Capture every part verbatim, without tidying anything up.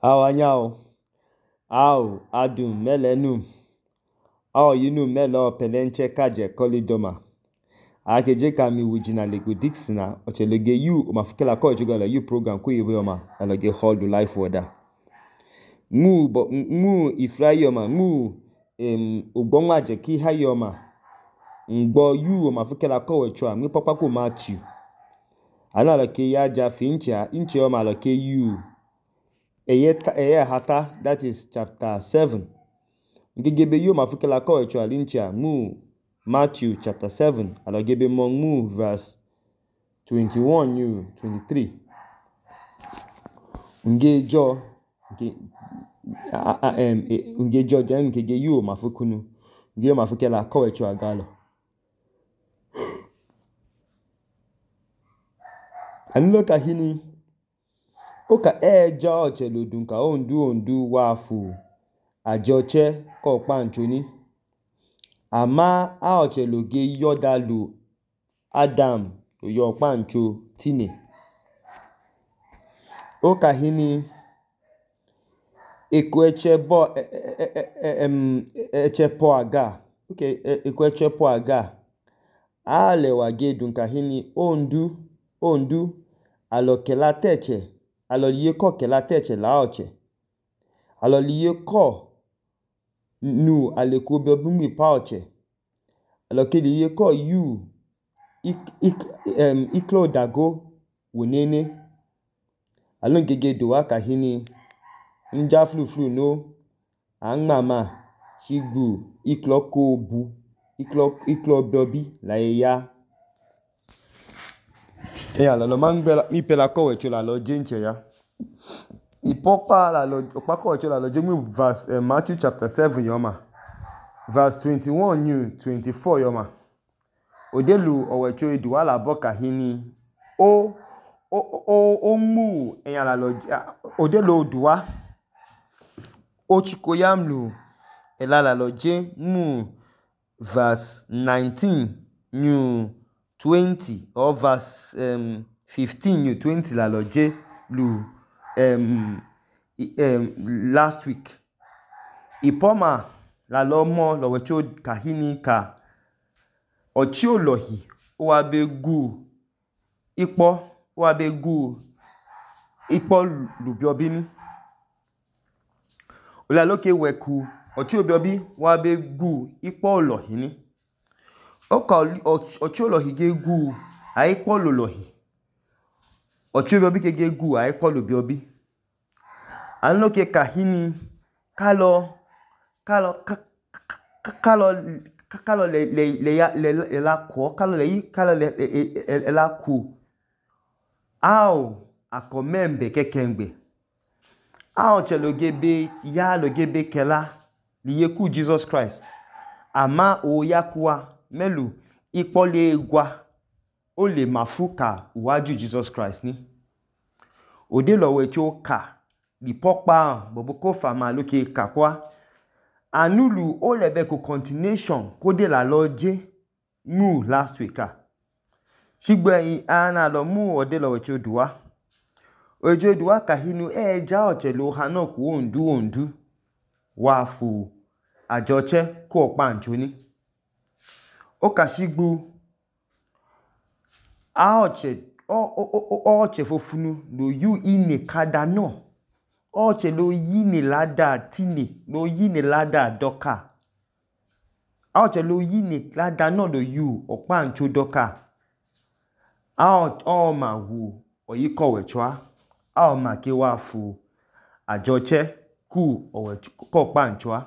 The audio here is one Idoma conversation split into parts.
Awanyao, ao adum melenum, ao yinum melo pelenche kaje kolidoma. Akeje kami wujina lego Dixina, ochelege yu omafukela ko ejogala yu program ko yebe yoma alage hold life order. Mu bo mu ifrai yoma mu em ogbonwa je ki ha yoma. Ngbo yu omafukela ko wechwa mi papa ko Matthew. Ana lake ya ja fincha inche yoma lake yu. Eye eye hata, that is chapter seven. Ngegebe yu omafukela ko wechwa lincha mu Matthew chapter seven, alagebe mong mu verse twenty-one yu twenty-three. Ngejo nge em ngejo jen ngege yu omafukunu. Nge omafukela ko wechwa galo. Anilo kahini oka eja ocheludun ka ondu ondu wafu ajoche ko panchoni. Ama a ocheloge yodalu Adam yo pancho tine. Oka hini ekweche bo em eche po aga. Okay, ekweche po aga. Ale wage dun kahini ondu ondu alokela teche. Aloliye ko kela teche la oche. Aloliye ko nu alekube bungi pa oche. Alokeliye ko yu ik, ik, em, iklo dago wunene. Alongege dowa kahini nja flu flu no angmama shigbu iklo ko bu iklo iklo bobi la ya. Eya lalo mangbela mi pela ko wecho la lo jenche ya. Ipopa la lo okpa ko wecho la lo jemu verse uh, Matthew chapter seven yoma. Verse twenty-one new twenty-four yoma. Odelu owecho eduwa la boka hini o o o o mu eya la lo odelu oduwa o chikoyamlu ela la lo je mu verse nineteen new twenty or verse um, fifteen new twenty la lo je lu um, um, last week. Ipoma la lo mo lo wecho kahini ka ochi olohi owa be gu ipo owa be gu ipo lubiobini. Ola loke weku ochi obiobi owa be gu ipo olohi ni. Oka ochi olohi ge gu a ipo lolohi. Ochi obiobi ke ge gu a ipo lubiobi. Anloke kahini kalo kalo kalo kalo le le le ya le le la ko kalo le yi kalo le le la ku ao akomembe kekengbe ao chelogebe ya logebe kela liyeku Jesus Christ ama o yakuwa melu ipole gwa o le mafuka uwaju Jesus Christ ni ode lo wecho ka lipopa bobo ko fama loke kakwa anulu o lebe ko continuation kode la loje mu last week a shigbe ana lo mu ode lo wecho duwa ojo duwa kahinu eja ochelo hanoku ondu ondu wafu ajoche ko panchoni o kashigbu a oche o o o oche fofunu lo yu ine kada no oche lo yini lada tini lo yini lada doka a oche lo yini lada no lo yu opancho doka a o ma wu oyiko wechwa a o ma ke wafu ajoche ku owecho ko pancho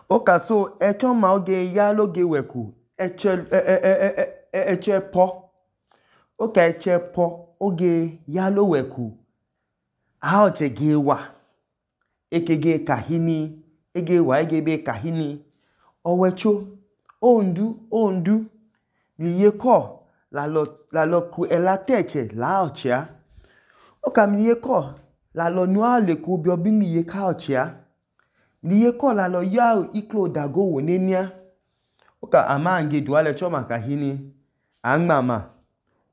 oka so echo ma oge ya loge weku eche e e eche po oka eche po oge ya lo weku a oche ge wa ekege kahini ege wa ege be kahini owecho ondu ondu liye ko la lo la lo ku elateche la ochia oka miye ko la lo nu ale ku bi obi miye ka ochia liye ko la lo ya iklo dago wonenia oka ama nge duale choma kahini angmama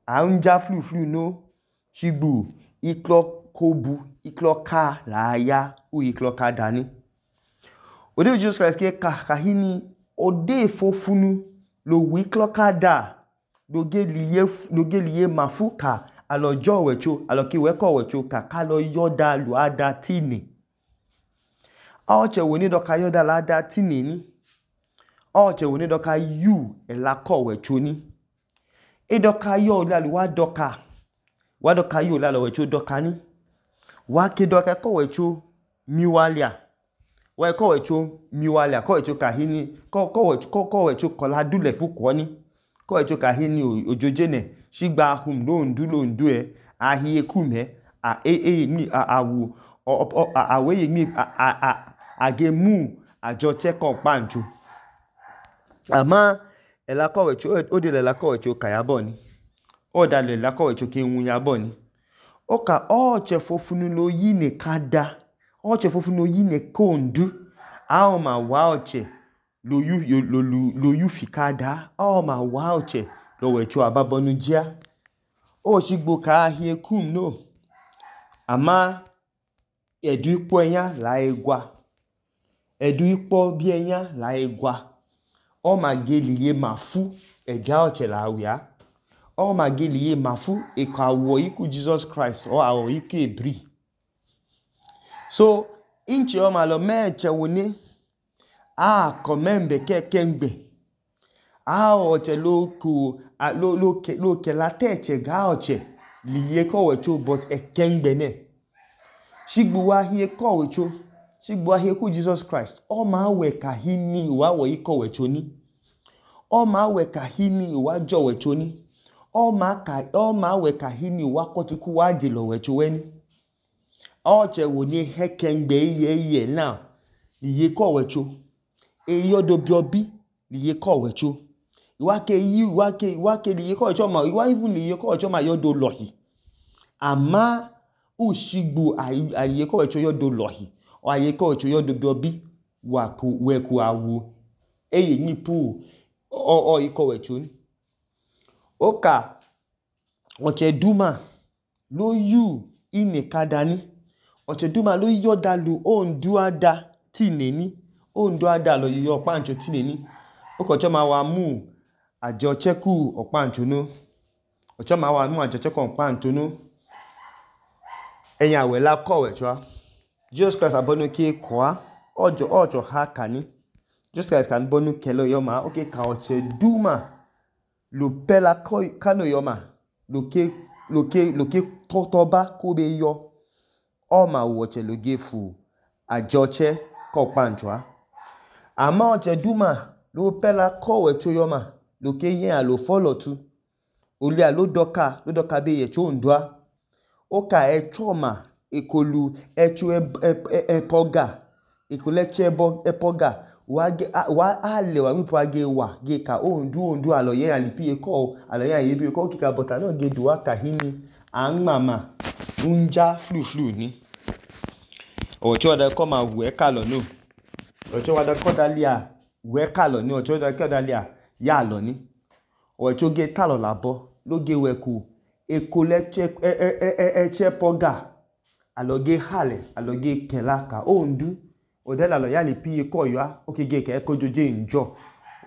anja flu flu no shigbu iklo kobu iklo ka la ya u iklo ka dani ode Jesus Christ ke ka kahini ode fofunu lo wi iklo ka da lo ge liye lo ge liye mafuka alojo wecho aloki weko wecho ka ka lo yoda lu ada tini oche woni do ka yoda la ada tini ni oche woni do ka yu elako wecho ni edoka yo la lu wa doka wa doka yo la lo wecho doka ni wa ke doka ko wecho miwalia wa ko wecho miwalia ko wecho kahini ko ko wecho ko ko wecho kola dule fuko ni ko wecho kahini ojoje ne shigba hum lo ndu lo ndu e ahiye kume a e e ni awu awe ni a agemu ajoche ko panju ama elako wecho ode le lako wecho kayabo ni oda le lako wecho ke nwunya bo ni oka oche fofunu lo yi ne kada oche fofunu lo yi ne kondu a ma wa oche lo yu lo lo yu fikada a ma wa oche lo wecho ababonu jia o shigbo ka ahie kum no ama edu ipo enya la egwa edu ipo bi enya la egwa o ma geliye mafu ega oche la awia o ma geliye mafu e ka wo iku Jesus Christ o awo iku ebri so inchi o ma lo meche woni a komembe ke kengbe a oche lo ku lo lo ke lo ke la teche ga oche liye ko wecho but e kengbe ne shigbu wa hie ko wecho shigbu wa hie ku Jesus Christ o ma we ka hini wa wo iko wecho ni o ma we ka hini wa jo wecho ni o ma ka o ma we ka hini wa kotuku wa jelo wecho weni oche woni hekengbe ye ye now liye ko wecho eyodo biobi liye ko wecho iwa ke yi iwa ke iwa ke liye ko wecho ma iwa even liye ko wecho ma yodo lohi ama ushigbu aliye ko wecho yodo lohi o aliye ko wecho yodo biobi wa ku we ku awu eye ni pu o o iko wecho ni oka oche duma lo yu ine kadani oche duma lo yoda lu ondu ada tineni ondu ada lo yo pancho tineni okocho ma wa mu ajo cheku opancho no ocho ma wa mu ajo cheku opancho no eyan we la ko wecho Jesus Christ abonu ki kwa ojo ojo ha kani Jesus Christ kan bonu kelo yoma okay ka oche duma lo pela ko kano yoma lo ke lo ke lo ke totoba ko be yo o ma woche lo gefu ajoche ko pancho ama oche duma lo pela ko wecho yoma lo ke yen a lo follow tu oli a lo doka lo doka be ye cho ndwa oka e choma ekolu echu epoga ekole chebo epoga wa ge wa ale wa mipo age wa ge ka ondu ondu alo ye alipi eko alo ye yebi eko kika bota no ge duwa kahini an mama unja flu flu ni ocho da ko ma we ka lo no ocho wa da ko dalia we ka lo ni ocho da ko dalia ya lo ni ocho ge ta lo labo lo ge we ku ekole che e e e e che poga alo ge hale alo ge kelaka ondu odela lo ya ni pi ko yo okege ke ko joje njo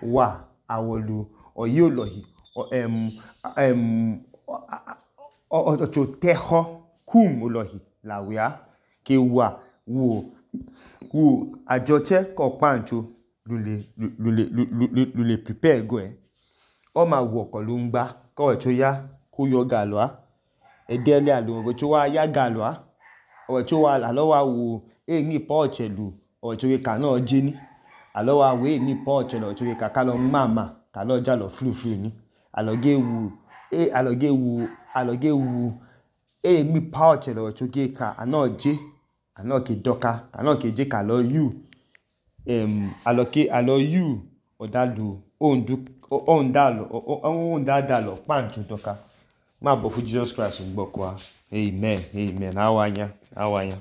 wa awolu oyi olohi em em o to teho kum olohi lawia ke wa wo wo ajoche ko pancho lule lule lule prepare go e o ma wo ko lu ngba ko wecho ya ku yo galwa edele alo wecho wa ya galwa o wecho wa alo wa wo e ni po chelu ochoge ka na jeni alo wa we ni po chelo ochoge ka ka lo mama ka lo ja lo flu flu ni aloge wu e aloge wu aloge wu e mi pa chelo ochoge ka ana je ana ke doka ana ke je ka lo you em aloke alo you odalu ondu ondalo ondadalo pancho doka ma bo fu Jesus Christ ngbo kwa amen amen awanya awanya